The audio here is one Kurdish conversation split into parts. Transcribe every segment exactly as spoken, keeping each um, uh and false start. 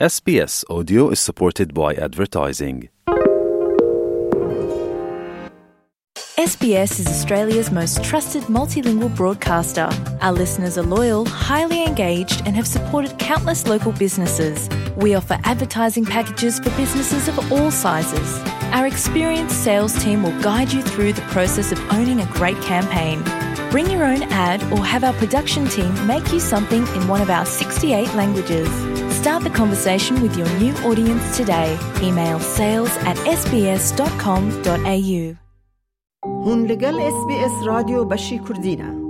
S B S Audio is supported by advertising. S B S is Australia's most trusted multilingual broadcaster. Our listeners are loyal, highly engaged, and have supported countless local businesses. We offer advertising packages for businesses of all sizes. Our experienced sales team will guide you through the process of owning a great campaign. Bring your own ad or have our production team make you something in one of our sixty-eight languages. Start the conversation with your new audience today. Email sales at S B S dot com dot A U. Hûn li gel S B S Radyo Beşî Kurdî ne.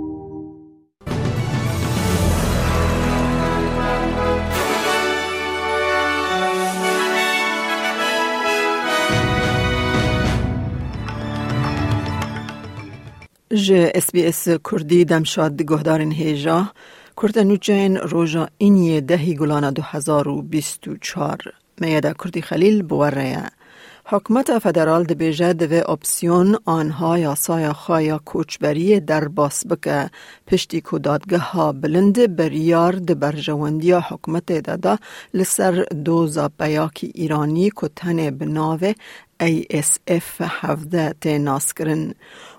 Ji S B S Kurdî demşad guhdarên hêja, kurte nûçeyên roja îniyê dehî gulana du hezar û bîst û çar. Meyeda Kurdî Xelîl bi we re ye. Hikûmeta federal dibêje divê opsiyon anha yasaya xwe ya koçberiyê derbas bike, piştî ku dadgeha bilind biryar di berjewendiya hikûmetê de da li ser doza peyakî Îranî ku tenê bi navê A S F hevdeh tê naskirin.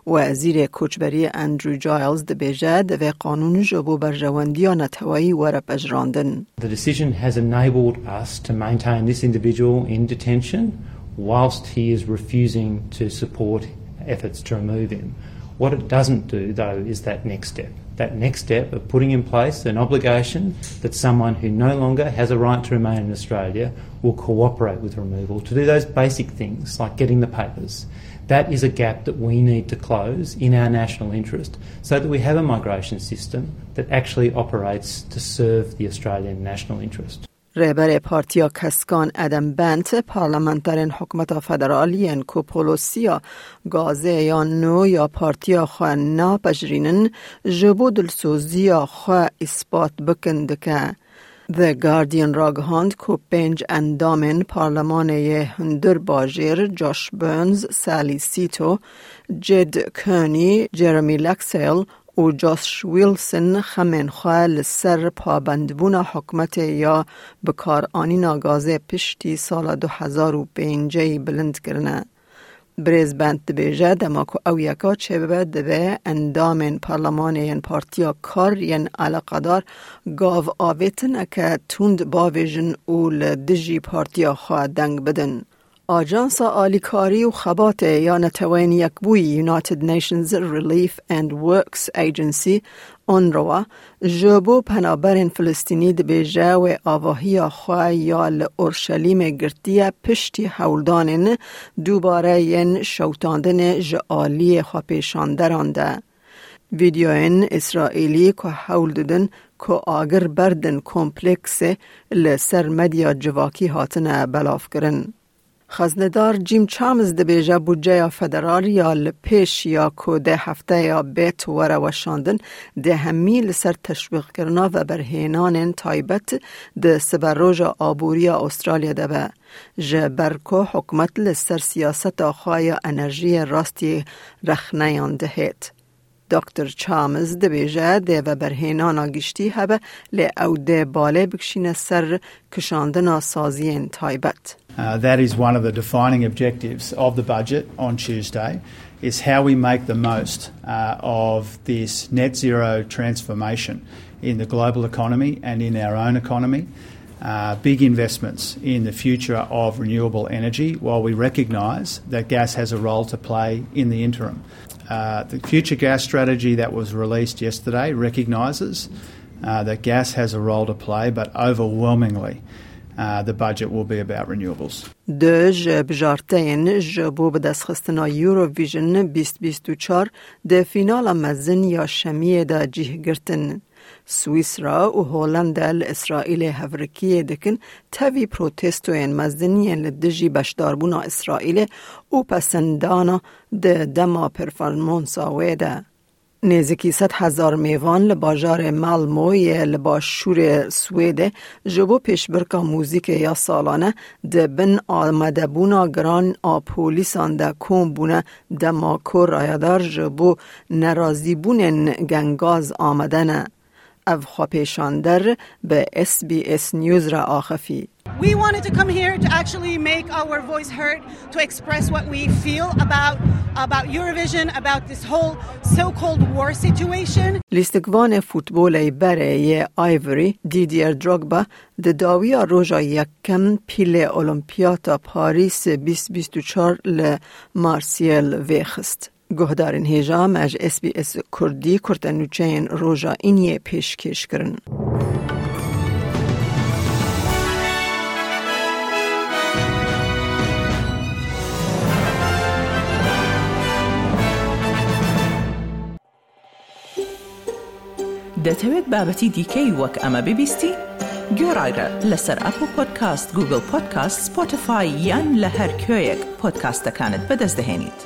Wezîrê Koçberiyê Andrew Giles dibêje, divê qanûn ji bo berjewendiya neteweyî were pejirandin. The decision has enabled us to maintain this individual in detention whilst he is refusing to support efforts to remove him. What it doesn't do, though, is that next step. That next step of putting in place an obligation that someone who no longer has a right to remain in Australia will cooperate with removal to do those basic things like getting the papers. That is a gap that we need to close in our national interest so that we have a migration system that actually operates to serve the Australian national interest. Rêberê Partiya Keskan Adam Bent, parlamenterên hikûmeta federal yên ku polosiya gazê ya nû ya partiya xwe napejirînin, ji bo dilsoziya xwe îspat bikin dike. The Guardian ragihand ku pênc endamên parlemanê yê hundir bajêr, Josh Burns, Sally Sito, Jed Kearney, Jeremy Laxale û Josh Wilson xemên xwe li ser pabendbûna hikûmetê ya bikaranîna gazê piştî sala du hezar û pêncî bilind kirine. Birêz Bent dibêje, dema ku ew yeka çêbibe, divê endamên parlemanê yên partiya kar yên eleqedar gav avêtineke tund bavêjin û li dijî partiya xwe deng bidin. Ajansa Alîkarî û Xebatê ya Neteweyên Yekbûyî, United Nations Relief and Works Agency, UNRWA, ji bo penaberên Filistînî dibêje, wê avahiya xwe ya li Orşelîmê girtiye piştî hewldanên dubare yên şewitandinê ji aliyê xwepêşanderan de. Vîdeoyên Îsraîlî ku hewl didin ku agir berdin kompleksê li ser medya civakî hatine belavkirin. Xeznedar Jim Chalmers dibêje, budceya federal ya li pêş ya ku dê hefteya bêt were weşandin, dê hemî li ser teşwîqkirina veberhênanên taybet di siberoja aboriya Australya de be, ji ber ku hikûmet li ser siyaseta xwe ya enerjiyê rastî rexneyan dihêt. Doktor Chalmers dibêje, dê veberhênana giştî hebe, lê ew dê balê bikişîne ser kişandina saziyên taybet. Uh, that is one of the defining objectives of the budget on Tuesday, is how we make the most, uh, of this net zero transformation in the global economy and in our own economy. Uh, big investments in the future of renewable energy, while we recognise that gas has a role to play in the interim. Uh, the future gas strategy that was released yesterday recognises, uh, that gas has a role to play, but overwhelmingly, uh, the budget will be about renewables. Du ji bijarteyên ji bo bidestxistina Eurovision bîst bîst û çar di fînala mezin ya şemiyê de cih girtin. Swîsra û Holanda li Îsraîlê hevrikiyê dikin, tevî protestoyên mezin yên li dijî beşdarbûna Îsraîlê û pesendana di dema performansa wê de. Nêzîkî sed hezar mêvan li bajarê Malmö yê li başûrê Swêdê ji bo pêşbirka muzîkê ya salane di bin amadebûna giran a polîsan de kom bûne, dema ku rayedar ji bo nerazîbûnên gengaz amade ne. Ev xwepêşander bi S B S News re axifî. We wanted to come here to actually make our voice heard, to express what we feel about, about Eurovision, about this whole so-called war situation. Lîstikvanê futbolê berê yê Ivory, Didier Drogba, di dawiya roja yekem pîlê Olimpiyata Parîs bîst bîst û çar li Marseille vêxist. Guhdarên hêja me ji S B S Kurdî kurtenûçeyên roja îniyê pêşkêş kirin. دەتەوێت بابەتی دیکەی وەک ئەمە ببیستی؟ گوێڕایرە لەسەر ئەپڵ پۆدکاست، گوگڵ پۆدکاست، سپۆتیفای یان لە هەر کوێیەک پۆدکاستەکانت بەدەست دەهێنیت.